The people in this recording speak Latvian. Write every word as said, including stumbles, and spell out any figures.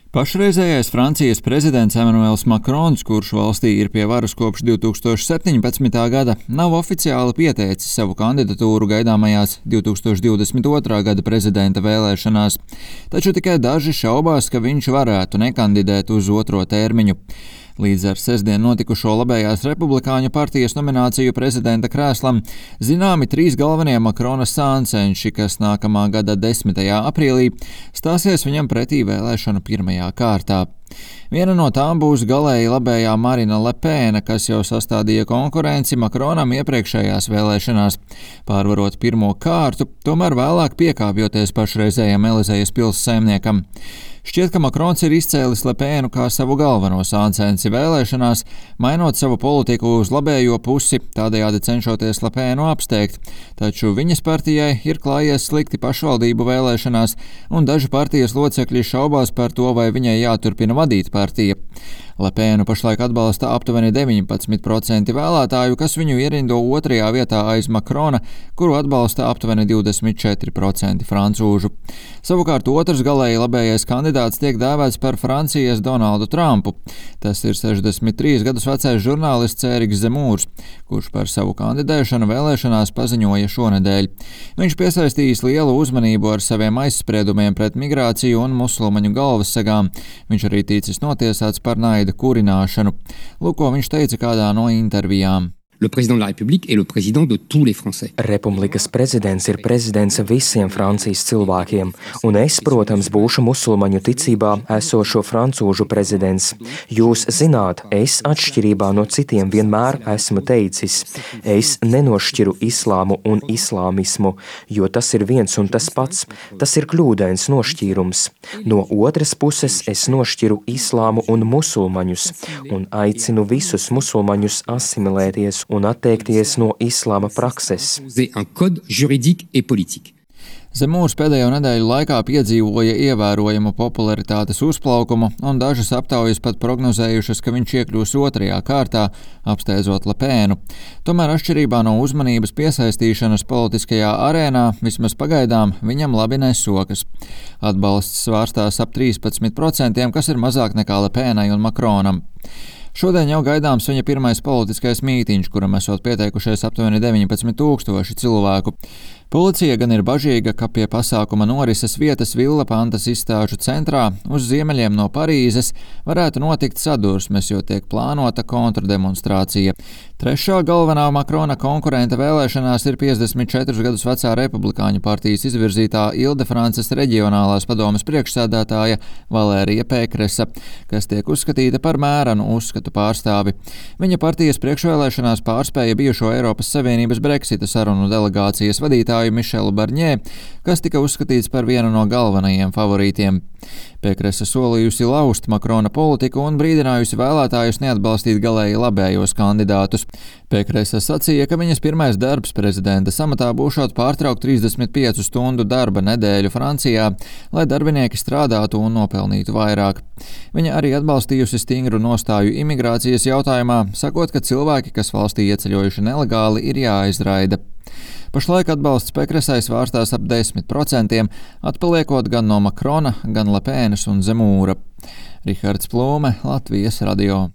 Pašreizējais Francijas prezidents Emmanuels Macrons, kurš valstī ir pie varas kopš divi tūkstoši septiņpadsmitā gada, nav oficiāli pieteicis savu kandidatūru gaidāmajās divi tūkstoši divdesmit otrā gada prezidenta vēlēšanās, taču tikai daži šaubās, ka viņš varētu nekandidēt uz otro termiņu. Līdz ar sestdien notikušo labējās republikāņu partijas nomināciju prezidenta krēslam zināmi trīs galvenie Macrona sāncenši, kas nākamā gada desmitajā aprīlī stāsies viņam pretī vēlēšanu pirmajā kārtā. Viena no tām būs galēji labējā Marina Le Pen, kas jau sastādīja konkurenci Macronam iepriekšējās vēlēšanās, pārvarot pirmo kārtu, tomēr vēlāk piekāpjoties pašreizējam Elizejas pils saimniekam. Šķiet, ka Macrons ir izcēlis Le Penu kā savu galveno sāncensi vēlēšanās, mainot savu politiku uz labējo pusi, tādējādi cenšoties Le Penu apsteigt, taču viņas partijai ir klājies slikti pašvaldību vēlēšanās, un daži partijas locekļi šaubās par to, vai viņai jāturpina vadīt partija. Le Penu pašlaik atbalsta aptuveni deviņpadsmit procenti vēlētāju, kas viņu ierindo otrajā vietā aiz Macrona, kuru atbalsta aptuveni divdesmit četri procenti francūžu. Savukārt otrs galēji labējais kandidāts tiek dēvēts par Francijas Donaldu Trumpu. Tas ir sešdesmit trīs gadus vecais žurnālists Ēriks Zemūrs, kurš par savu kandidēšanu vēlēšanās paziņoja šonedēļ. Viņš piesaistījis lielu uzmanību ar saviem aizspriedumiem pret migrāciju un musulmaņu galvassegām. Viņš arī ticis notiesāts par naida kurināšanu. Lūk, ko viņš teica kādā no intervijām. Le président de la République est le président de tous les Français. Republikas prezidents ir prezidents visiem Francijas cilvēkiem, un es, protams, būšu musulmaņu ticībā esošo francūžu prezidents. Jūs zināt, es atšķirībā no citiem vienmēr esmu teicis, es nenošķiru islāmu un islāmismu, jo tas ir viens un tas pats, tas ir kļūdains nošķīrums. No otras puses es nošķiru islāmu un musulmaņus, un aicinu visus musulmaņus asimilēties un atteikties no islāma prakses. Zemūrs pēdējo nedēļu laikā piedzīvoja ievērojamu popularitātes uzplaukumu, un dažas aptaujas pat prognozējušas, ka viņš iekļūs otrajā kārtā, apsteidzot Le Penu. Tomēr atšķirībā no uzmanības piesaistīšanas politiskajā arēnā, vismaz pagaidām, viņam labi nesokas. Atbalsts svārstās ap trīspadsmit procentiem, kas ir mazāk nekā Le Penai un Macronam. Šodien jau gaidāms viņa pirmais politiskais mītiņš, kuram esot pieteikušies aptuveni deviņpadsmit tūkstoši cilvēku. Policija gan ir bažīga, ka pie pasākuma norises vietas Villa Pantas izstāžu centrā uz ziemeļiem no Parīzes varētu notikt sadursmes, jo tiek plānota kontrdemonstrācija. Trešā galvenā Macrona konkurente vēlēšanās ir piecdesmit četrus gadus vecā republikāņu partijas izvirzītā Ile-de-Frances reģionālās padomes priekšsēdētāja Valērija Pékresa, kas tiek uzskatīta par mērenu uzskatu pārstāvi. Viņa partijas priekšvēlēšanās pārspēja bijušo Eiropas Savienības Brexita sarunu delegācijas vadītāju Mišelu Barņē, kas tika uzskatīts par vienu no galvenajiem favorītiem. Pékresa solījusi laust Macrona politiku un brīdinājusi vēlētājus neatbalstīt galēji labējos kandidātus. Pékresa sacīja, ka viņas pirmais darbs prezidenta amatā būšot pārtraukt trīsdesmit piecu stundu darba nedēļu Francijā, lai darbinieki strādātu un nopelnītu vairāk. Viņa arī atbalstījusi stingru nostāju imigrācijas jautājumā, sakot, ka cilvēki, kas valstī ieceļojuši nelegāli, ir jāizraida. Pašlaik atbalsts Pékresai svārstās ap desmit procentiem, atpaliekot gan no Macrona, gan Le Penas un Zemūra. Rihards Plūme, Latvijas radio.